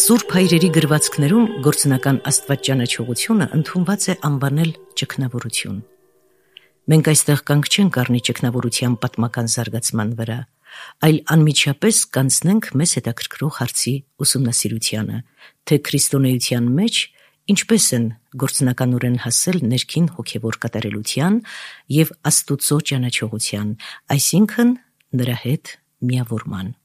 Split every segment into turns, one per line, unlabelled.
Սուրբ հայրերի գրվածքներում գործնական աստվածճանաչողությունը ընդունված է անվանել ճգնավորություն։ Մենք այստեղ կանգ չենք առնի ճգնավորության պատմական զարգացման վրա, այլ անմիջապես կանցնենք մեզ հետաքրքրող հարցի ուսումնասիրությանը, թե քրիստոնեության մեջ ինչպես են գործնականորեն հասել ներքին հոգևոր կատարելության և Աստուծո ճանաչողության, այսինքն նրա հետ միավորման։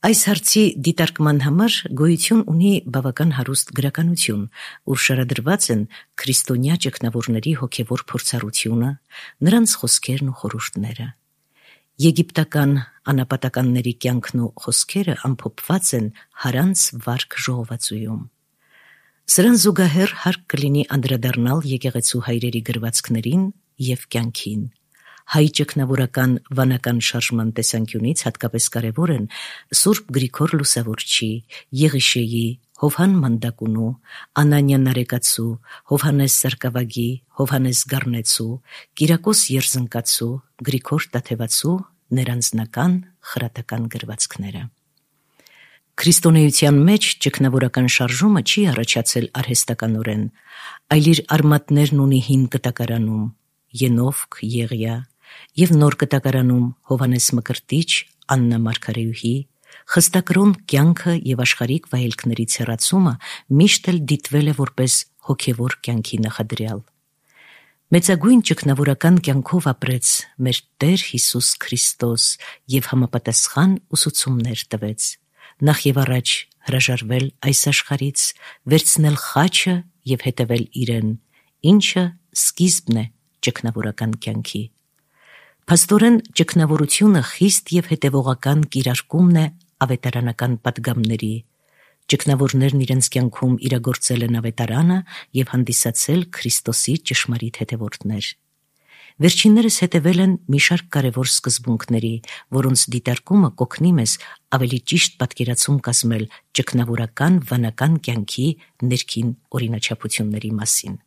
Այս հարցի դիտարկման համար գոյություն ունի բավական հարուստ գրականություն, ուր շարադրված են քրիստոնյա ճգնավորների հոգևոր փորձառությունը, նրանց խոսքերն ու խորհուրդները։ Եգիպտական անապատականների կյանքն ու խոսքերը ամփոփված են Հարանց վարք ժողովածուում։ Սրան զուգահեռ հարկ կլինի անդրադառնալ եկեղեցու հայրերի գրվածքներին և կյանքին։ Հայ ճգնավորական վանական շարժման տեսանկյունից հատկապես կարևոր են Սուրբ Գրիգոր Լուսավորչի, Եղիշեի, Հովհան Մանդակունու, Անանիա Նարեկացու, Հովհաննես Սարգսակի, Հովհաննես Գառնեցու, Կիրակոս Երզնկացու, Գրիգոր Տաթևացու ներանձնական խրատական գրվածքները։ Քրիստոնեության մեջ ճգնավորական շարժումը չի առաջացել արհեստականորեն, այլ իր արմատներն ունի հին կտակարանում՝ Ենովք, Եղիա, և նոր կտակարանում Հովհաննես Մկրտիչ, Աննա Մարգարեուհի, խստակրոն կյանքը և աշխարհիկ վայելքներից հեռացումը միշտ էլ դիտվել է որպես հոգևոր կյանքի նախադրյալ։ Մեծագույն ճգնավորական կյանքով ապրեց մեր Տեր Հիսուս Քրիստոս և համապատասխան ուսուցումներ տվեց։ Նախ և առաջ հրաժարվել այս աշխարհից, վերցնել խաչը և հետևել իրեն, ինչը սկիզբն է ճգնավորական կյանքի։ Փաստորեն ճգնավորությունը խիստ և հետևողական կիրարկումն է ավետարանական պատգամների։ Ճգնավորներն իրենց կյանքում իրագործել են ավետարանը և հանդիսացել Քրիստոսի ճշմարիտ հետևորդներ։ Վերջիններս հետևել են մի շարք կարևոր սկզբունքների, որոնց դիտարկումը կօգնի մեզ ավելի ճիշտ պատկերացում կազմել ճգնավորական վանական կյանքի ներքին օրինաչափությունների մասին։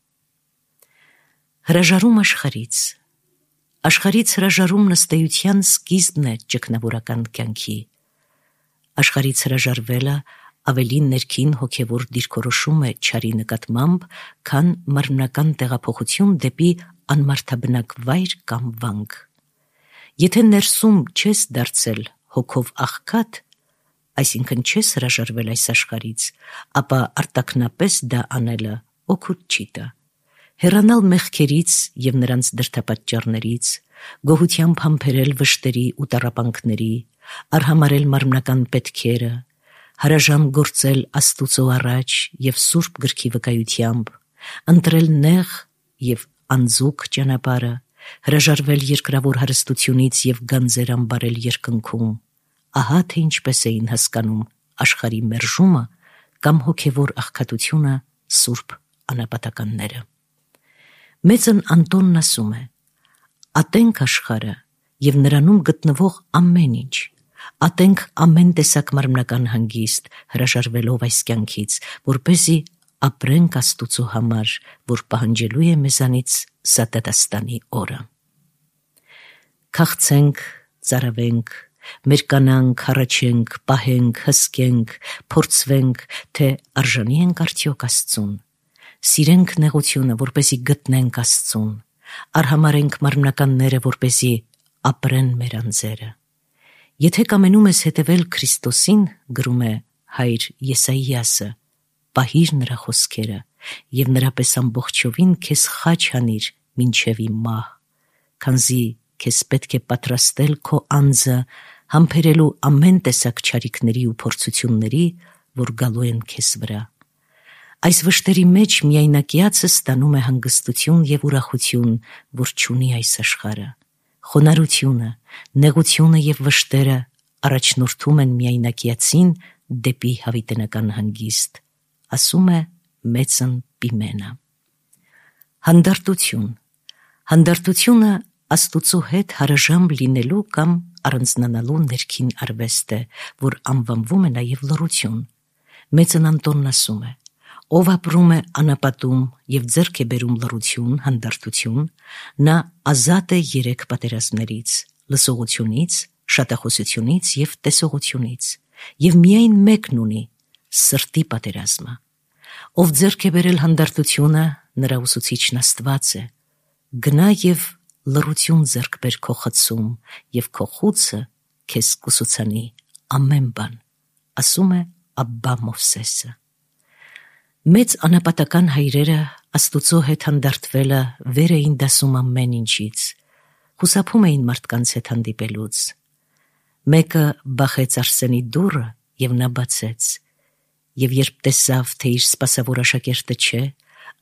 Հրաժարում աշխարհից։ Աշխարհից հրաժարումն ըստ էության սկիզբն է ճգնավորական կյանքի։ Աշխարհից հրաժարվելը ավելի ներքին հոգևոր դիրքորոշում է չարի նկատմամբ, քան մարմնական տեղափոխություն դեպի անմարդաբնակ վայր կամ վանք։ Եթե ներսում չես դարձել հոգով աղքատ, այսինքն չես հրաժարվել այս աշխարհից, ապա արտաքնապես դա անելը օգուտ չի տա։ Հեռանալ մեղքերից և նրանց դրդապատճառներից, գոհությամբ համբերել վշտերի ու տառապանքների, արհամարհել մարմնական պետքերը, հարաժամ գործել Աստուծո առաջ և Սուրբ Գրքի վկայությամբ, ընտրել նեղ և անձուկ ճանապարհը, հրաժարվել երկրավոր հարստությունից և գանձեր ամբարել երկնքում, ահա թե ինչպես էին հասկանում աշխարհի մերժումը կամ հոգևոր աղքատությունը սուրբ անապատականները։ Մեծն Անտոնն ասում է. «Ատենք աշխարհը և նրանում գտնվող ամեն ինչ, ատենք ամեն տեսակ մարմնական հանգիստ, հրաժարվելով այս կյանքից, որպեսզի ապրենք Աստուծո համար, որ պահանջելու է մեզանից սատատաստանի օրը»։ Քաղցենք, ծարավենք, մերկանանք, հառաչենք, պահենք, հսկենք, փորձվենք, թե արժանի ենք արդյոք Աստծուն։ Սիրենք նեղությունը, որպեսզի գտնենք Աստծուն, արհամարհենք մարմնականները, որպեսզի ապրեն մեր անձերը։ Եթե կամենում ես հետևել Քրիստոսին, գրում է հայր Եսայիասը, պահիր նրա խոսքերը և նրա պես ամբողջովին քեզ խաչ հանիր մինչև իմ մահ, քանզի քեզ պետք է պատրաստել քո անձը համբերելու ամեն տեսակ չարիքների ու փորձությունների, որ գալու են քեզ վրա։ Այս վշտերի մեջ միայնակիացը ստանում է հանգստություն և ուրախություն, որ չունի այս աշխարհը։ Խոնարհությունը, նեղությունը և վշտերը առաջնորդում են միայնակիացին դեպի հավիտենական հանգիստ, ասում է մեծն Պիմենը։ Հանդարտություն։ Հանդարտությունը Աստուծո հետ հարաժամ լինելու կամ առանձնանալու ներքին արվեստ է, որ անվանվում է նաև լռություն։ Մեծն Անտոնն ասում է. «Ով ապրում է անապատում և ձեռք է բերում լռություն, հանդարտություն, նա ազատ է երեք պատերազմներից՝ լսողությունից, շատախոսությունից և տեսողությունից, և միայն մեկն ունի՝ սրտի պատերազմը։ Ով ձեռք է բերել հանդարտությունը, նրա ուսուցիչն Աստված է։ Գնա եւ լռություն ձեռք բեր քո խցում, եւ քո խուցը քեզ կուսուցանի ամեն բան, ասում է Աբբա Մովսեսը։ Մեծ անապատական հայրերը Աստուծո հետ հանդարտվելը վեր էին դասում ամեն ինչից, խուսափում էին մարդկանց հետ հանդիպելուց։ Մեկը բախեց Արսենի դուռը եւ նա բացեց, եւ երբ տեսավ, թե իր սպասավոր աշակերտը չէ,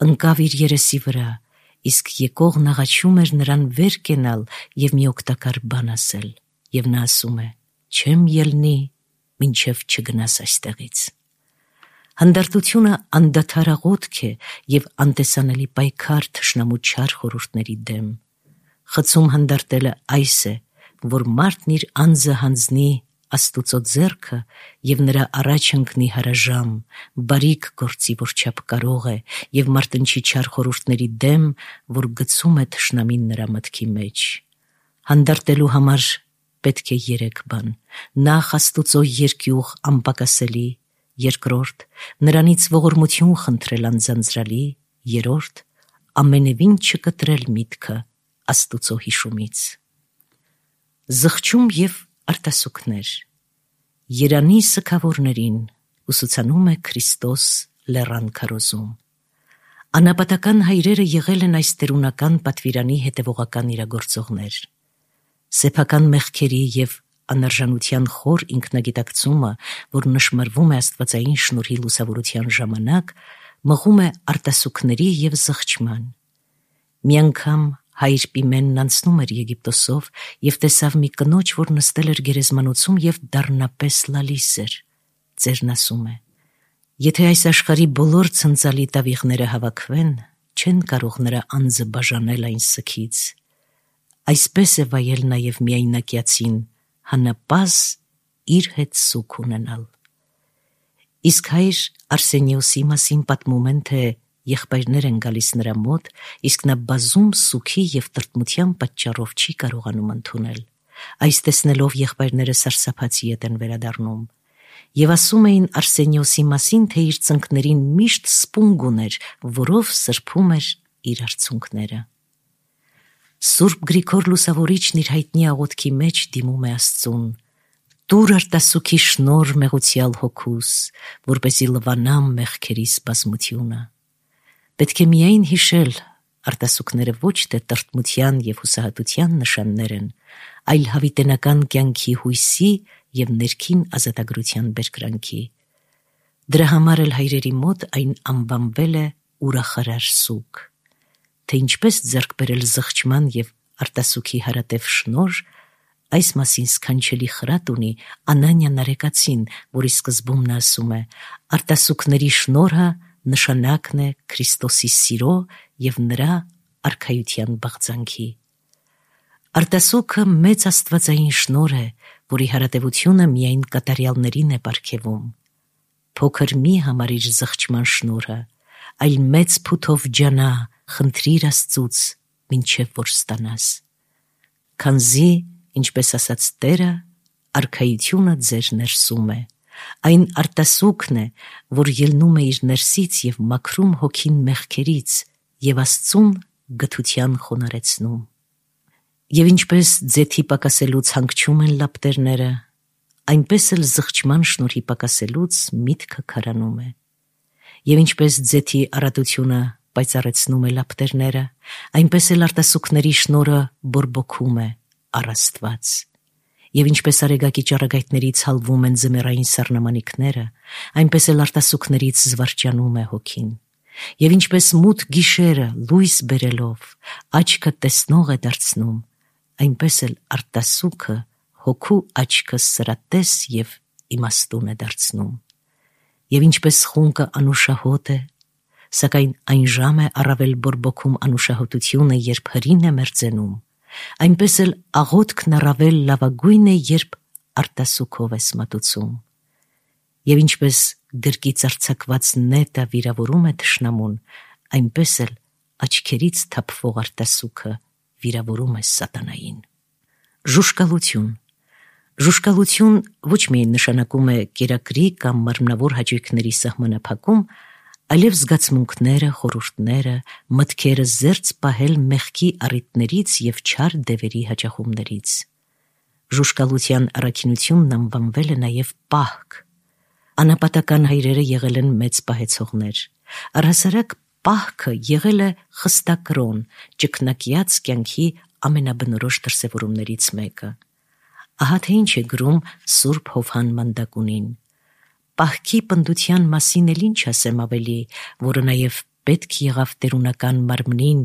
ընկավ իր երեսի վրա, իսկ եկողն աղաչում էր նրան վեր կենալ եւ մի օգտակար բան ասել, եւ նա ասում է. «Չեմ ելնի, մինչև չգնաս այստեղից»։ Հանդարտությունը անդադար աղոթք է եւ անտեսանելի պայքար թշնամու չար խորհուրդների դեմ։ Խցում հանդարտելը այս է, որ մարդն իր անձը հանձնի Աստուծո ձեռքը եւ նրա առաջ ընկնի հարաժամ, բարիք գործի, որչափ կարող է, եւ մարտնչի չար խորհուրդների դեմ, որ գցում է թշնամին նրա մտքի մեջ։ Հանդարտելու համար պետք է 3 բան. նախ Աստուծո երկյուղ անպակասելի, երկրորդ նրանից ողորմություն խնդրել անձանձրալի, երրորդ ամենևին չկտրել միտքը Աստուծո հիշումից։ Զղջում եւ արտասուքներ։ Երանի սգավորներին ուսուցանում է Քրիստոս լեռան քարոզում։ Անապատական հայրերը եղել են այս տերունական պատվիրանի հետևողական իրագործողներ։ Սեփական մեղքերի եւ անարժանության խոր ինքնագիտակցումը, որ նշմարվում է աստվածային շնորհի լուսավորության ժամանակ, մղում է արտասուքների եւ զղջման։ Մի անգամ հայր Պիմենն անցնում էր Եգիպտոսով եւ տեսավ մի կնոջ, որ նստել էր գերեզմանոցում եւ դառնապես լալիս էր։ Ծերն ասում է. «Եթե այս աշխարհի բոլոր ցնցալի տավիղները հավաքվեն, չեն կարող նրա անձը բաժանել այն սքից։ Այսպես է վայել նաեւ միայնակյացին, հանապազ իր հետ սուք ունենալ»։ Իսկ հայր Արսենիոսի մասին պատմում են, թե եղբայրներ են գալիս նրա մոտ, իսկ նա բազում սուքի եւ տրտմության պատճառով չի կարողանում ընդունել։ Այս տեսնելով եղբայրները սարսափացի ետ են վերադառնում եւ ասում էին Արսենիոսի մասին, թե իր ծնկներին միշտ սպունգ ուներ, որով սրբում էր իր արցունքները։ Սուրբ Գրիգոր Լուսավորիչն իր հայտնի աղոթքի մեջ դիմում է Աստծուն. «Տուր արտասուքի շնոր մեղուցյալ հոգուս, որպեսզի լվանամ մեղքերիս բազմությունը»։ Պետք է միայն հիշել, արտասուքները ոչ թե տրտմության եւ հուսահատության նշաններ են, այլ հավիտենական կյանքի հույսի եւ ներքին ազատագրության բերկրանքի։ Դրա համար էլ հայրերի մոտ այն անվանվել է ուրախարար սուք։ Թե ինչպես ձեռք բերել զղջման եւ արտասուքի հարատև շնոր, այս մասին սքանչելի խրատ ունի Անանիա Նարեկացին, որի սկզբում նա ասում է. «Արտասուքների շնորհը նշանակն է Քրիստոսի սիրո եւ նրա արքայության բաղձանքի»։ Արտասուքը մեծ աստվածային շնորհ է, որի հարատևությունը միայն կատարյալներին է պարգևում։ Փոքր մի համարիր զղջման շնորհը, այլ մեծ փութով ջանա, խնդրիր Աստծուց, մինչև որ ստանաս։ Քանզի, ինչպես ասաց Տերը, արքայությունը ձեր ներսում է։ Այն արտասուքն է, որ ելնում է իր ներսից եւ մաքրում հոգին մեղքերից եւ Աստծուն գթության խոնարեցնում։ Եվ ինչպես ձեթի պակասելուց հանգչում են լապտերները, այնպես էլ զղջման շնորհի պակասելուց միտքը քարանում է։ Եվ ինչպես ձեթի առատությունը պայծառեցնում է լապտերները, այնպես էլ արտասուքների շնորհը բորբոքում է առ Աստված։ Եվ ինչպես արեգակի ճառագայթներից հալվում են ձմեռային սառնամանիքները, այնպես էլ արտասուքներից զվարճանում է հոգին։ Եվ ինչպես մութ գիշերը լույս բերելով աչքը տեսնող է դարձնում, այնպես էլ արտասուքը հոգու աչքը սրատես եւ իմաստուն է դարձնում։ Եվ ինչպես խունկը անուշահոտ է, սակայն այն ժամ է առավել բորբոքում անուշահոտությունը, երբ հրին է մերձենում, այնպես էլ աղոթքն առավել լավագույն է, երբ արտասուքով ես մատուցում։ Եվ ինչպես գրկից արձակված նետը վիրավորում է թշնամուն, այնպես էլ աչքերից թափվող արտասուքը վիրավորում է սատանային։ Ժուշկալություն։ Ժուշկալություն ոչ միայն նշանակում է կերակրի կամ մարմնավոր հաճույքների սահմանափակում, այլև զգացմունքները, խորհուրդները, մտքերը զերծ պահել մեղքի առիթներից և չար դևերի հաճախումներից։ Ժուշկալության առաքինությունն անվանվել է նաև պահք։ Անապատական հայրերը եղել են մեծ պահեցողներ։ Առհասարակ պահքը եղել է խստակրոն, ճկնակյաց կյանքի ամենաբնորոշ դրսևորումներից մեկը։ Ահա թե ինչ է գրում Սուրբ Հովհան Մանդակունին. «Պահքի պնդության մասին էլ ինչ ասեմ ավելի, որը նաև պետք եղավ տերունական մարմնին,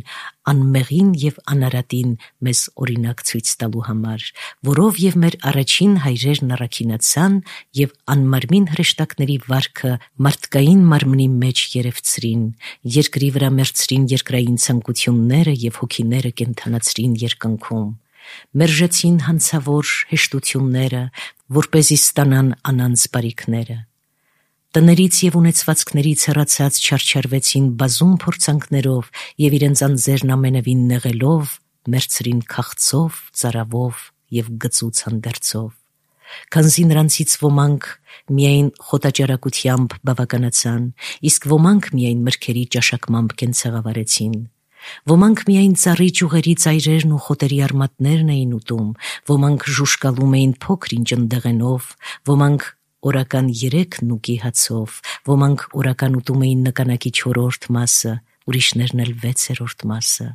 անմեղին և անարատին մեզ օրինակ ցույց տալու համար, որով և մեր առաջին հայրերն առաքինացան և անմարմին հրեշտակների վարքը մարդկային մարմնի մեջ երևցրին, երկրի վրա մեռցրին երկրային ցանկությունները և հոգիները կենդանացրին երկնքում, մերժեցին հանցավոր հեշտությունները, որպեսզի ստանան անանց բարիքները։ Տներից և ունեցվածքներից հեռացած չարչարվեցին բազում փորձանքներով և իրենց անձերն ամենևին նեղելով, մեռցրին քաղցով, ծարավով և գծուց հանդերձով։ Քանզի նրանցից ոմանք միայն խոտաճարակությամբ բավականացան, իսկ ոմանք միայն մրգերի ճաշակմամբ կենցաղավարեցին։ Ոմանք միայն ծառի ճյուղերի ծայրերն ու խոտերի արմատներն էին ուտում, ոմանք ժուշկալում էին փոքր-ինչ ընդեղենով, ոմանք օրական 3 նուկի հացով, ոմանք օրական ուտում էին նկանակի 4-րդ մասը, ուրիշներն էլ 6-րդ մասը,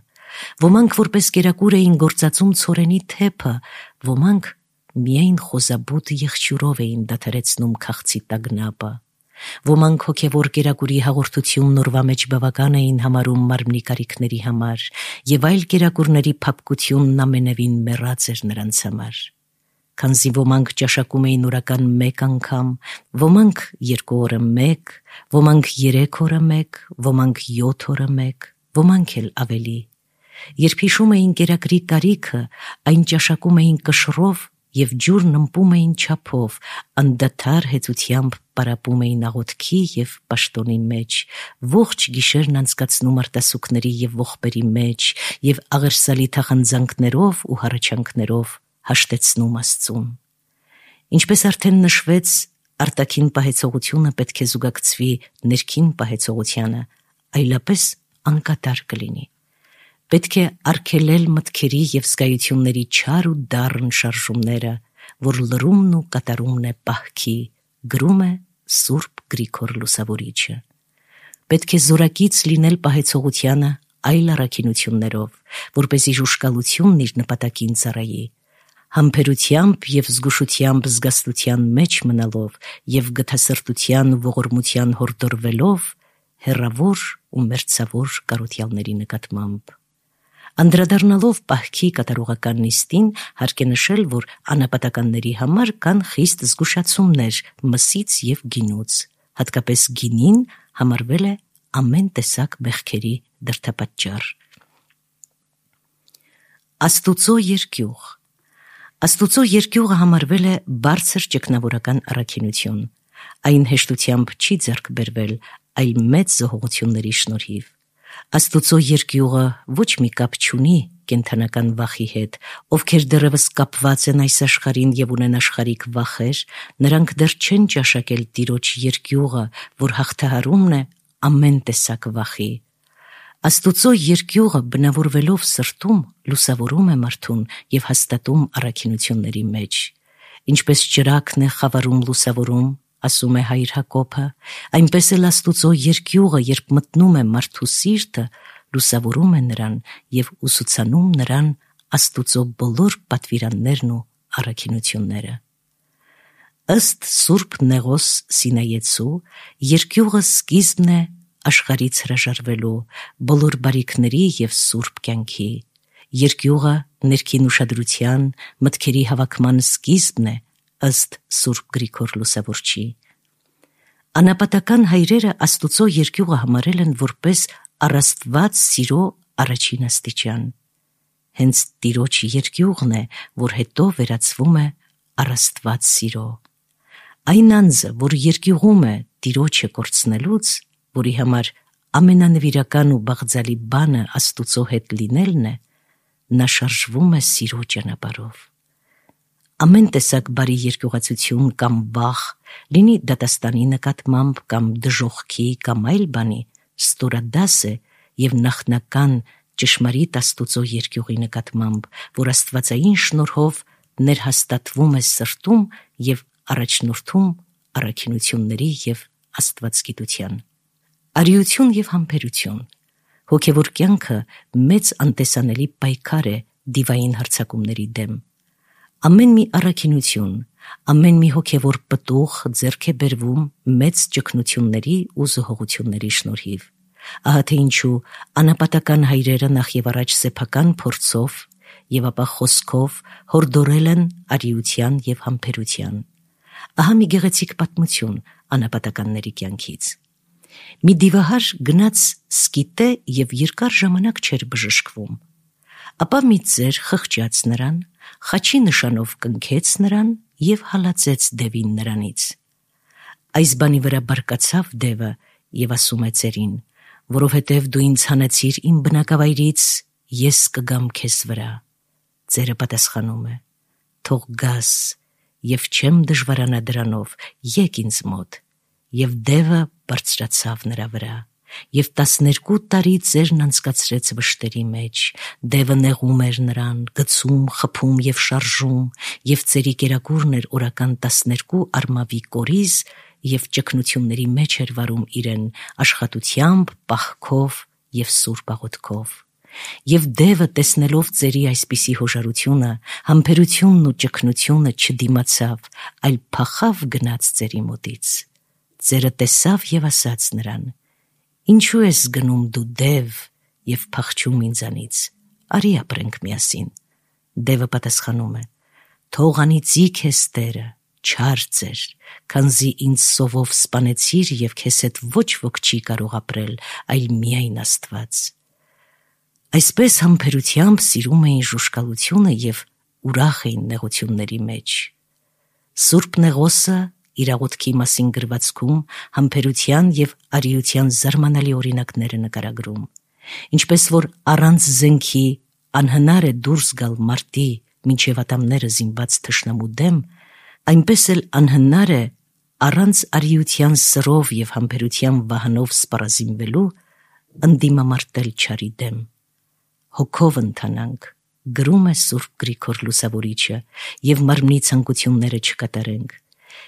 ոմանք որպես կերակուր էին գործածում ցորենի թեփը, ոմանք միայն խոզաբութ եղջյուրով էին դադարեցնում քաղցի տագնապը, ոմանք հոգևոր կերակուրի հաղորդությունն օրվա մեջ բավական էին համարում մարմնի կարիքների համար, և այլ կերակուրների փափկությունն ամենևին մեռած էր նրանց համար։ Քանզի ոմանք ճաշակում էին օրական 1 անգամ, ոմանք 2 օրը 1, ոմանք 3 օրը 1, ոմանք 7 օրը 1, ոմանք էլ ավելի։ Երբ հիշում էին կերակրի կարիքը, այն ճաշակում էին կշռով և ջուրն ըմպում էին չափով, անդադար հեծությամբ պարապում էին աղոթքի և պաշտոնի մեջ, ողջ գիշերն անցկացնում արտասուքների և ողբերի մեջ և աղերսալի թախանձանքներով ու հառաչանքներով հաշտեցնում Աստծուն։ Ինչպես արդեն նշվեց, արտաքին պահեցողությունը պետք է զուգակցվի ներքին պահեցողությանը, այլապես անկատար կլինի։ Պետք է արգելել մտքերի և զգայությունների չար ու դառն շարժումները, որ լրումն ու կատարումն է պահքի, գրում է Սուրբ Գրիգոր Լուսավորիչը։ Պետք է զորակից լինել պահեցողությանը այլ առաքինություններով, որպեսզի ժուշկալությունն իր նպատակին ծառայի, համբերությամբ և զգուշությամբ զգաստության մեջ մնալով և գթասրտության ու ողորմության հորդորվելով հեռավոր ու մերձավոր կարոտյալների նկատմամբ։ Անդրադառնալով պահքի կատարողական նիստին, հարկ է նշել, որ անապատականների համար կան խիստ զգուշացումներ մսից և գինուց, հատկապես գինին համարվել է ամեն տեսակ մեղքերի դրդապատճառ։ Աստուծո երկյուղ։ Աստուծո երկյուղը համարվել է բարձր ճգնավորական առաքինություն։ Այն հեշտությամբ չի ձեռք բերվել, այլ մեծ զոհողությունների շնորհիվ։ Աստուծո երկյուղը ոչ մի կապ չունի կենդանական վախի հետ, ովքեր դեռևս կապված են այս աշխարհին և ունեն աշխարհիկ վախեր, նրանք դեռ չեն ճաշակել Տիրոջ երկյուղը, որ հաղթահարումն է ամեն տեսակ վախի։ Աստուծո երկյուղը բնավորվելով սրտում լուսավորում է մարդուն և հաստատում առաքինությունների մեջ։ Ինչպես ճրագն է խավարում լուսավորում, ասում է Հայր Հակոբը, այնպես էլ Աստուծո երկյուղը, երբ մտնում է մարդու սիրտը, լուսավորում է նրան և ուսուցանում նրան Աստուծո բոլոր պատվիրաններն ու առաքինությունները։ Ըստ Սուրբ Նեղոս Սինայեցու, երկյուղը սկիզբն է աշխարհից հրաժարվելու, բոլոր բարիքների և սուրբ կյանքի։ Երկյուղը ներքին ուշադրության, մտքերի հավաքման սկիզբն է, ըստ Սուրբ Գրիգոր Լուսավորչի։ Անապատական հայրերը Աստուծո երկյուղը համարել են որպես առաստված սիրո առաջին աստիճան։ Հենց Տիրոջ երկյուղն է, որ հետո վերածվում է առաստված սիրո։ Այն անձը, որ երկյուղում է Տիրոջը կորցնելուց, որի համար ամենանվիրական ու բաղձալի բանը Աստուծո հետ լինելն է, նա շարժվում է սիրո ճանապարհով։ ամեն տեսակ բարի երկյուղացություն կամ վախ, լինի դատաստանի նկատմամբ կամ դժոխքի կամ այլ բանի, ստորադաս է և նախնական ճշմարիտ Աստուծո երկյուղի նկատմամբ, որ աստվածային շնորհով ներհաստատվում է սրտում և առաջնորդում առաքինությունների և աստվածգիտության։ Արիություն և համբերություն։ Հոգևոր կյանքը մեծ անտեսանելի պայքար է դիվային հարձակումների դեմ։ Ամեն մի առաքինություն, ամեն մի հոգևոր պտուղ ձեռք է բերվում մեծ ճգնությունների ու զոհողությունների շնորհիվ։ Ահա թե ինչու անապատական հայրերը նախ և առաջ սեփական փորձով և ապա խոսքով հորդորել են արիության և համբերության։ Ահա մի գեղեցիկ պատմություն անապատականների կյանքից։ Մի դիվահար գնաց սկիտե և երկար ժամանակ չէր բժշկվում։ Ապա մի ծեր խղճաց նրան, խաչի նշանով կնքեց նրան և հալածեց դևին նրանից։ Այս բանի վրա բարկացավ դևը և ասում է ծերին, որովհետև դու ինձ հանեցիր իմ բնակավայրից, ես կգամ քեզ վրա։ Ծերը պատասխանում է. թող գաս, և չեմ դժվարանա դրանով, եկ ինձ մոտ։ Եվ դևը բարձրացավ նրա վրա, և 12 տարի ծերն անցկացրեց վշտերի մեջ։ Դևը նեղում էր նրան, գցում, խփում և շարժում, և ծերի կերակուրն էր օրական 12 արմավի կորիզ և ճգնությունների մեջ էր վարում իրեն աշխատությամբ, պահքով և սուրբ աղոթքով։ Եվ դևը, տեսնելով ծերի այսպիսի հոժարությունը, համբերությունն ու ճգնությունը, չդիմացավ, այլ փախավ գնաց ծերի մոտից։ Ծերը տեսավ և ասաց նրան. «Ինչու ես գնում դու դև և փախչում ինձանից, արի ապրենք միասին»։ Դևը պատասխանում է. «Թող անիծի քեզ Տերը, չար ծեր, քանզի ինձ սովով սպանեցիր և քեզ հետ ոչ ոք չի կարող ապրել, այլ միայն Աստված»։ Այսպես համբերությամբ սիրում էին ժուժկալությունը և ուրախ էին նեղությունների մեջ։ Սուրբ Նեղոսը իր աղոթքի մասին գրվածքում համբերության և արիության զարմանալի օրինակներ է նկարագրում։ Ինչպես որ առանց զենքի անհնար է դուրս գալ մարտի մինչև ատամները զինված թշնամու դեմ, այնպես էլ անհնար է առանց արիության սրով և համբերության վահանով սպառազինվելու ընդդիմամարտել չարի դեմ։ Հոգով ընթանանք, գրում է Սուրբ Գրիգոր Լուսավորիչը, և մարմնի ցանկությունները չկատարենք,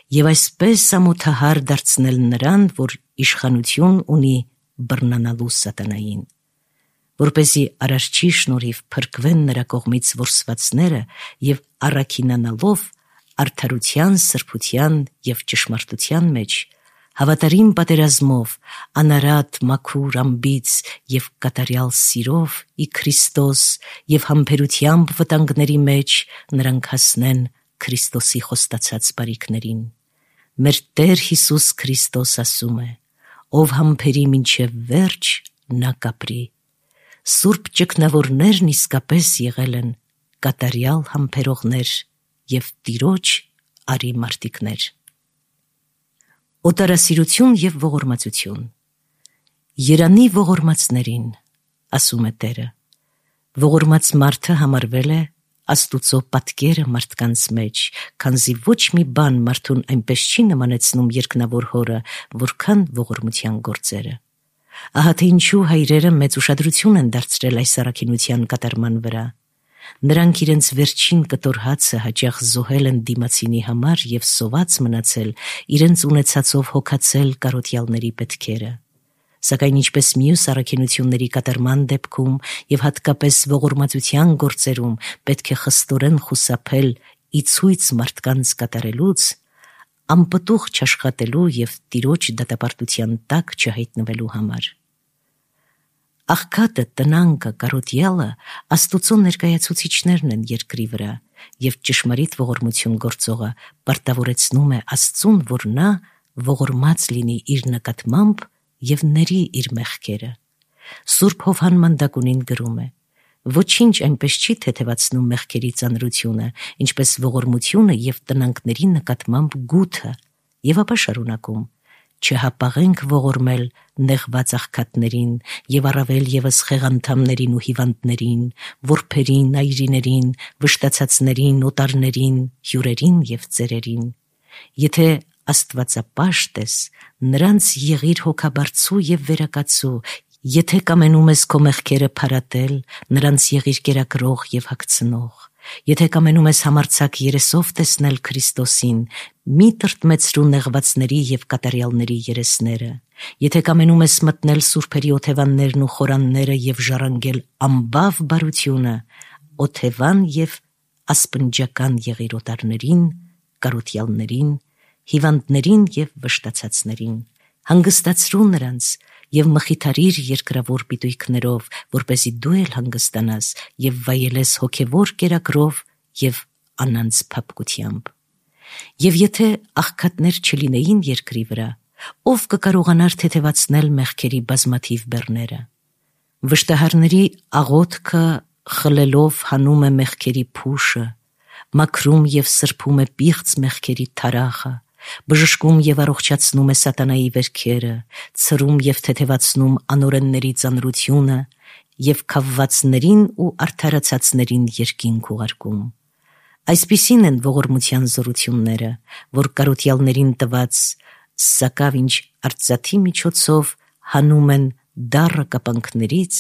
և այսպես ամոթահար դարձնել նրան, որ իշխանություն ունի բռնանալու սատանային, որպեսզի Արարչի շնորհիվ փրկվեն նրա կողմից որսվածները և առաքինանալով արդարության, սրբության և ճշմարտության մեջ, հավատարիմ պատերազմով, անարատ, մաքուր, անբիծ և կատարյալ սիրով ի Քրիստոս և համբերությամբ վտանգների մեջ նրանք հասնեն Քրիստոսի խոստացած բարիքներին։ Մեր Տեր Հիսուս Քրիստոս ասում է. «Ով համբերի մինչև վերջ, նա կապրի»։ Սուրբ ճգնավորներն իսկապես եղել են կատարյալ համբերողներ և Տիրոջ արի մարտիկներ։ Օտարասիրություն և ողորմածություն։ Երանի ողորմածներին, ասում է Տերը։ Ողորմած մարդը համարվել է Աստուծո պատկերը մարդկանց մեջ, քանզի ոչ մի բան մարդուն այնպես չի նմանեցնում երկնավոր Հորը, որքան ողորմության գործերը։ Ահա թե ինչու հայրերը մեծ ուշադրություն են դարձրել այս առաքինության կատարման վրա։ Նրանք իրենց վերջին կտոր հացը հաճախ զոհել են դիմացինի համար և սոված մնացել իրենց ունեցածով հոգացել կարոտյալների պետքերը։ Սակայն ինչպես մյուս առաքինությունների կատարման դեպքում և հատկապես ողորմածության գործերում պետք է խստորեն խուսափել ի ցույց մարդկանց կատարելուց, անպտուղ չաշխատելու և Տիրոջ դատապարտության տակ չհայտնվելու համար։ Աղքատը, տնանկը, կարոտյալը Աստուծո ներկայացուցիչներն են երկրի վրա, և ճշմարիտ ողորմություն գործողը պարտավորեցնում է Աստծուն, որ նա ողորմած լինի իր նկատմամբ և ների իր մեղքերը։ Սուրբ Հովհան Մանդակունին գրում է. «Ոչինչ այնպես չի թեթևացնում մեղքերի ծանրությունը, ինչպես ողորմությունը և տնանկների նկատմամբ գութը», և ապա շարունակում. չհապաղենք ողորմել նեղված աղքատներին եւ առավել եւս խեղանդամներին ու հիվանդներին, որբերին, այրիներին, վշտացածներին, օտարներին, հյուրերին եւ ծերերին։ Եթե Աստվածապաշտ ես, նրանց եղիր հոգաբարձու եւ վերակացու, եթե կամենում ես քո մեղքերը փարատել, նրանց եղիր կերակրող եւ հագցնող։ Եթե կամենում ես համարձակ երեսով տեսնել Քրիստոսին, մի տրտմեցրու նեղվածների եւ կատարյալների երեսները։ Եթե կամենում ես մտնել սուրբերի օթևաններն ու խորանները եւ ժառանգել ամբավ բարությունը, օթևան եւ ասպնջական եղիր օտարներին, կարոթյալներին, հիվանդներին եւ վշտացածներին։ Հանգստացրու նրանց եւ մխիթարիր երկրավոր պիտույքներով, որպեսզի դու էլ հանգստանաս եւ վայելես հոգեվոր կերակրով եւ անանց փափկությամբ։ Եվ եթե աղքատներ չլինեին երկրի վրա, ով կկարողանար թեթևացնել մեղքերի բազմաթիվ բեռները։ Վշտահարների աղոթքը խլելով հանում է մեղքերի փուշը, մաքրում եւ սրբում է պիղծ մեղքերի թարախը, բժշկում եւ առողջացնում է սատանայի վերքերը, ցրում եւ թեթևացնում անօրենների ծանրությունը եւ քավվածներին ու արդարացածներին երկինք ուղարկում։ Այսպիսին են ողորմության զորությունները, որ կարոթյալներին տված, սակավ ինչ արծաթի միջոցով հանում են դառը կապանքներից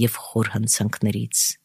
եւ խոր հանցանքներից։